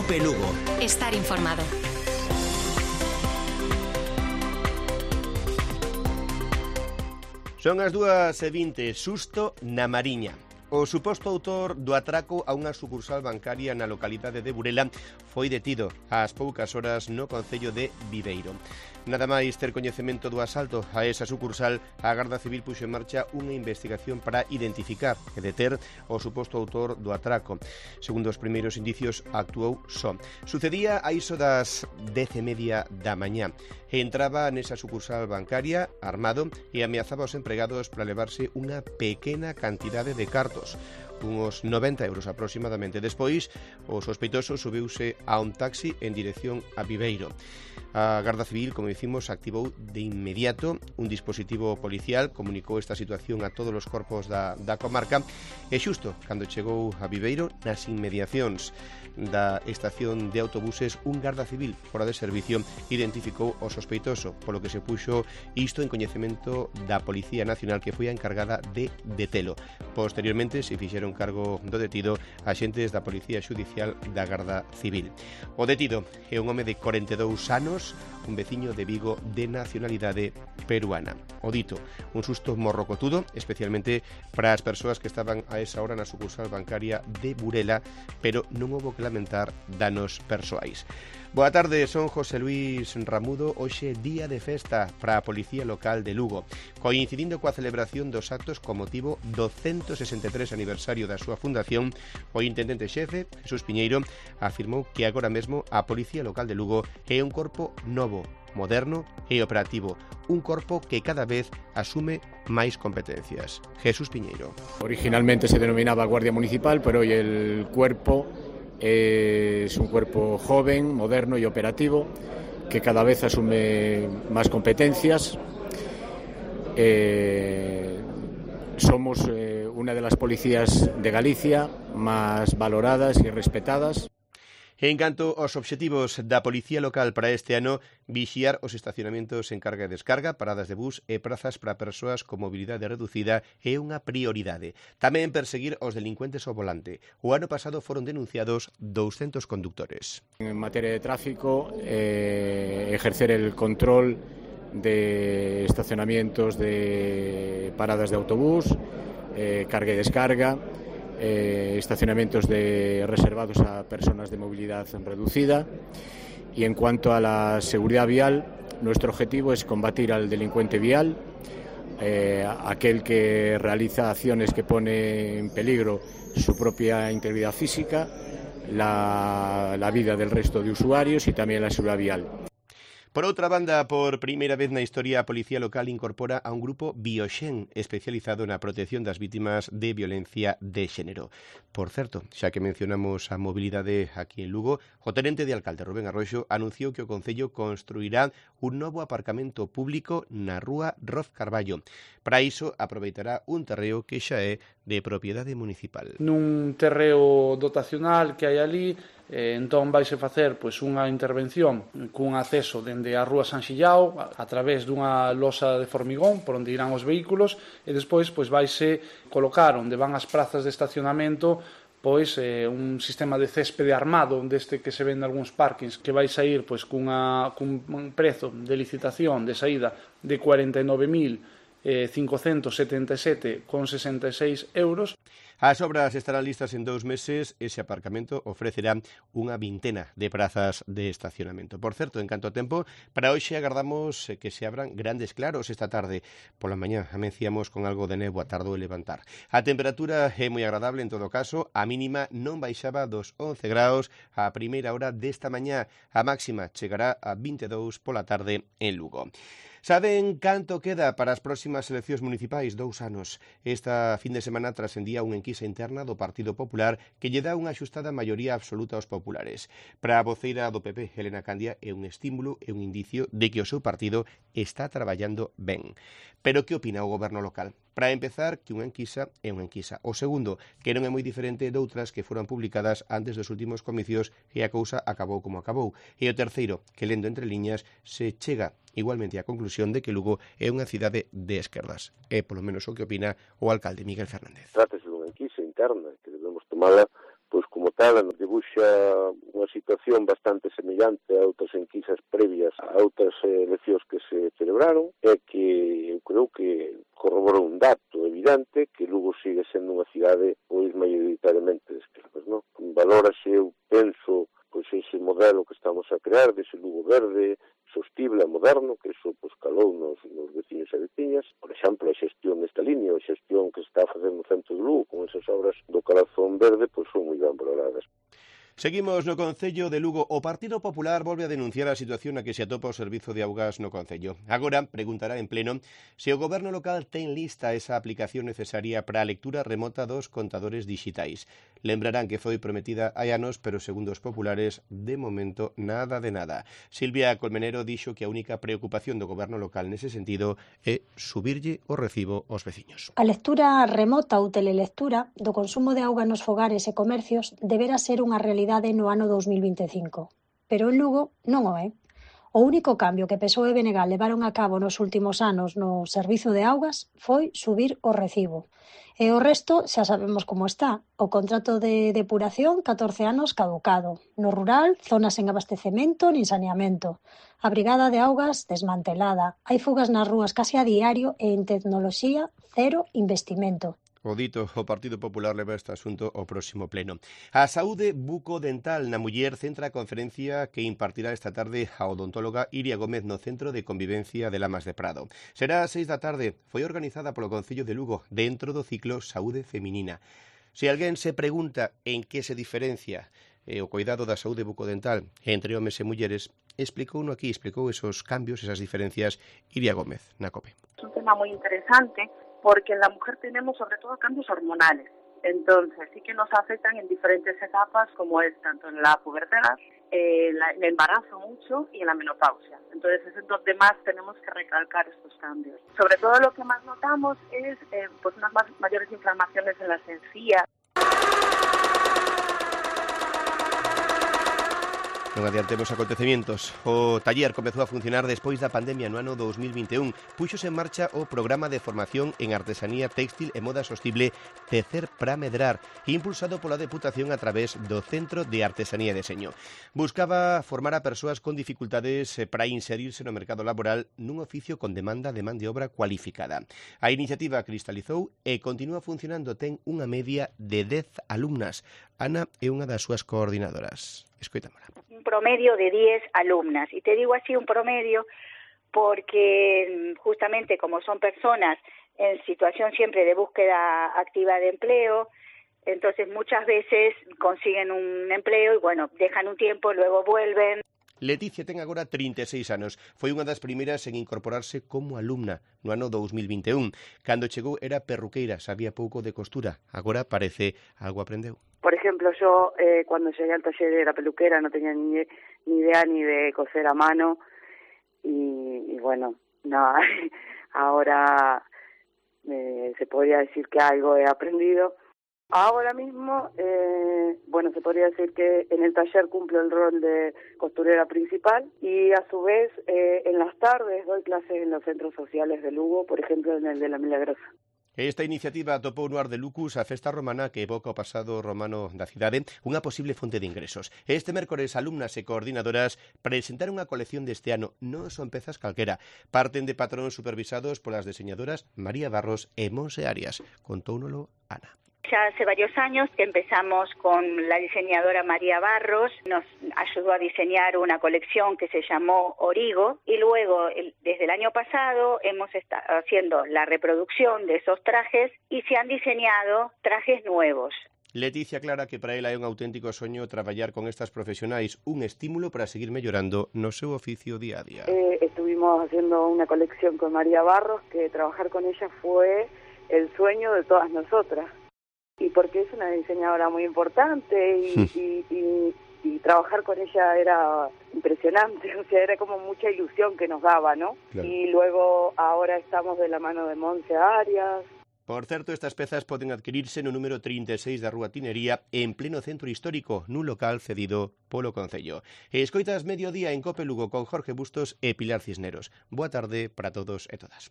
Cope Lugo. Estar informado. Son as 2:20, susto na Mariña. O suposto autor do atraco a unha sucursal bancaria na localidade de Burela foi detido ás poucas horas no concello de Viveiro. Nada máis ter coñecemento do asalto a esa sucursal, a Garda Civil puxo en marcha unha investigación para identificar e deter o suposto autor do atraco. Segundo os primeiros indicios, actuou só. Sucedía a iso das 10:30 da mañá. Entraba nesa sucursal bancaria armado e ameazaba aos empregados para levarse unha pequena cantidade de cartos, unos 90 euros aproximadamente. Despois, o sospeitoso subiuse a un taxi en dirección a Viveiro. A Garda Civil, como dicimos, activou de inmediato un dispositivo policial, comunicou esta situación a todos os corpos da comarca e xusto cando chegou a Viveiro, nas inmediacións da estación de autobuses, un Garda Civil fora de servicio identificou o sospeitoso, polo que se puxo isto en coñecemento da Policía Nacional, que foi a encargada de detelo. Posteriormente se fixeron cargo do detido axentes da Policía Xudicial da Garda Civil. O detido é un home de 42 anos, un veciño de Vigo de nacionalidade peruana. O dito, un susto morrocotudo, especialmente para as persoas que estaban a esa hora na sucursal bancaria de Burela, pero non houbo que lamentar danos persoais. Boa tarde, son José Luis Ramudo. Hoxe día de festa para a Policía Local de Lugo, coincidindo coa celebración dos actos con motivo do 163 aniversario da súa fundación. O intendente xefe, Jesús Piñeiro, afirmou que agora mesmo a Policía Local de Lugo é un corpo novo, moderno e operativo, un corpo que cada vez asume máis competencias. Jesús Piñeiro. Originalmente se denominaba Guardia Municipal, pero hoy el cuerpo es un cuerpo joven, moderno y operativo, que cada vez asume más competencias. Somos una de las policías de Galicia más valoradas y respetadas. En canto aos obxectivos da Policía Local para este ano, vixiar os estacionamentos en carga e descarga, paradas de bus e prazas para persoas con mobilidade reducida é unha prioridade. Tamén perseguir os delincuentes ao volante. O ano pasado foron denunciados 200 conductores. En materia de tráfico, ejercer el control de estacionamientos de paradas de autobús, carga y descarga, estacionamientos reservados a personas de movilidad reducida. Y en cuanto a la seguridad vial, nuestro objetivo es combatir al delincuente vial, aquel que realiza acciones que pone en peligro su propia integridad física, la vida del resto de usuarios y también la seguridad vial. Por outra banda, por primeira vez na historia, a Policía Local incorpora a un grupo Bioxen especializado na protección das vítimas de violencia de xénero. Por certo, xa que mencionamos a mobilidade aquí en Lugo, o tenente de alcalde Rubén Arroxo anunciou que o Concello construirá un novo aparcamento público na rúa Roz Carballo. Para iso, aproveitará un terreo que xa é de propiedade municipal. Nun terreo dotacional que hai ali, entón vaise facer unha intervención cun acceso dende a rúa San Xillao a través dunha losa de formigón por onde irán os vehículos e despois vaise colocar onde van as prazas de estacionamento un sistema de céspede armado deste que se vende algúns parkings que vai sair cun prezo de licitación de saída de 49.577,66 euros. As obras estarán listas en 2 meses. Ese aparcamento ofrecerá unha vintena de prazas de estacionamento. Por certo, en canto a tempo, para hoxe agardamos que se abran grandes claros esta tarde. Pola mañá amenciamos con algo de néboa, tardou en levantar. A temperatura é moi agradable en todo caso. A mínima non baixaba dos 11 graus a primeira hora desta mañá. A máxima chegará a 22 pola tarde en Lugo. Saben canto queda para as próximas eleccións municipais? 2 anos. Esta fin de semana trascendía unha enquisa interna do Partido Popular que lle dá unha axustada maioría absoluta aos populares. Para a voceira do PP, Helena Candia, é un estímulo e un indicio de que o seu partido está traballando ben. Pero que opina o goberno local? Para empezar, que unha enquisa é unha enquisa. O segundo, que non é moi diferente doutras que foron publicadas antes dos últimos comicios e a cousa acabou como acabou. E o terceiro, que lendo entre liñas, se chega igualmente á conclusión de que Lugo é unha cidade de esquerdas. É polo menos o que opina o alcalde Miguel Fernández. Trátase dunha enquisa interna que debemos tomala pois como tal, nos debuxa unha situación bastante semellante a outras enquisas previas a outras eleccións que se celebraron, é que eu creo que corrobora un dato evidente que Lugo sigue sendo unha cidade pois maioritariamente de esquerdas, non? Valórase, eu penso, pois ese modelo que estamos a crear, dese Lugo verde, sostible, moderno, que iso pois calou nos veciños e veciñas. Por exemplo, a xestión desta línea, a xestión que se está a facer no centro de Lugo con esas obras do Calazón Verde, pois son moi ben valoradas. Seguimos no Concello de Lugo. O Partido Popular volve a denunciar a situación na que se atopa o servizo de augas no Concello. Agora preguntará en pleno se o goberno local ten lista esa aplicación necesaria para a lectura remota dos contadores dixitais. Lembrarán que foi prometida hai anos, pero segundo os populares, de momento nada de nada. Silvia Colmenero dixo que a única preocupación do goberno local nese sentido é subirlle o recibo aos veciños. A lectura remota ou telelectura do consumo de auga nos fogares e comercios deberá ser unha realidade no ano 2025, pero en Lugo non o é. O único cambio que PSOE e BNG levaron a cabo nos últimos anos no servizo de augas foi subir o recibo. E o resto xa sabemos como está. O contrato de depuración, 14 anos caducado. No rural, zonas sen abastecemento nin saneamento. A brigada de augas desmantelada. Hai fugas nas rúas case a diario e en tecnoloxía, cero investimento. O dito, o Partido Popular leva este asunto ao próximo pleno. A saúde bucodental na muller centra a conferencia que impartirá esta tarde a odontóloga Iria Gómez no Centro de Convivencia de Lamas de Prado. Será ás 6 da tarde, foi organizada polo Concello de Lugo dentro do ciclo Saúde Feminina. Se alguén se pregunta en que se diferencia o cuidado da saúde bucodental entre homes e mulleres, explicou esos cambios, esas diferencias, Iria Gómez, na COPE. Es un tema muy interesante porque en la mujer tenemos sobre todo cambios hormonales. Entonces sí que nos afectan en diferentes etapas, como es tanto en la pubertad, el embarazo mucho y en la menopausia. Entonces es donde más tenemos que recalcar estos cambios. Sobre todo lo que más notamos es pues unas mayores inflamaciones en las encías. Non adiantemos acontecementos. O taller comezou a funcionar despois da pandemia no ano 2021. Puxose en marcha o programa de formación en artesanía textil e moda sostible Tecer para Medrar, impulsado pola Deputación a través do Centro de Artesanía e Deseño. Buscaba formar a persoas con dificultades para inserirse no mercado laboral nun oficio con demanda de man de obra cualificada. A iniciativa cristalizou e continúa funcionando. Ten unha media de 10 alumnas. Ana é unha das súas coordinadoras. Escoitámola. Un promedio de 10 alumnas. Y te digo así un promedio porque justamente como son personas en situación siempre de búsqueda activa de empleo, entonces muchas veces consiguen un empleo y bueno, dejan un tiempo, luego vuelven. Leticia ten agora 36 anos. Foi unha das primeiras en incorporarse como alumna no ano 2021. Cando chegou era perruqueira, sabía pouco de costura. Agora parece algo aprendeu. Por ejemplo, yo cuando llegué al taller de la peluquera no tenía ni idea ni de coser a mano y bueno, no, ahora se podría decir que algo he aprendido. Ahora mismo, bueno, se podría decir que en el taller cumplo el rol de costurera principal y a su vez en las tardes doy clases en los centros sociales de Lugo, por ejemplo en el de La Milagrosa. Esta iniciativa atopou no Ar de Lucus a festa romana que evoca o pasado romano da cidade, unha posible fonte de ingresos. Este mércores, alumnas e coordinadoras presentaron unha colección deste ano. Non son pezas calquera. Parten de patróns supervisados polas diseñadoras María Barros e Monse Arias. Contóunolo Ana. Ya hace varios años que empezamos con la diseñadora María Barros, nos ayudó a diseñar una colección que se llamó Origo y luego desde el año pasado hemos estado haciendo la reproducción de esos trajes y se han diseñado trajes nuevos. Leticia aclara que para ela é un auténtico soño traballar con estas profesionais, un estímulo para seguir mellorando no seu oficio día a día. Estuvimos haciendo una colección con María Barros, que trabajar con ella fue el sueño de todas nosotras. Y porque es una diseñadora muy importante y trabajar con ella era impresionante, o sea, era como mucha ilusión que nos daba, ¿no? Claro. Y luego ahora estamos de la mano de Monse Arias. Por certo, estas pezas poden adquirirse no número 36 da Rúa Tinería en pleno centro histórico, nun local cedido polo Concello. Escoitas Mediodía en Cope Lugo con Jorge Bustos e Pilar Cisneros. Boa tarde para todos e todas.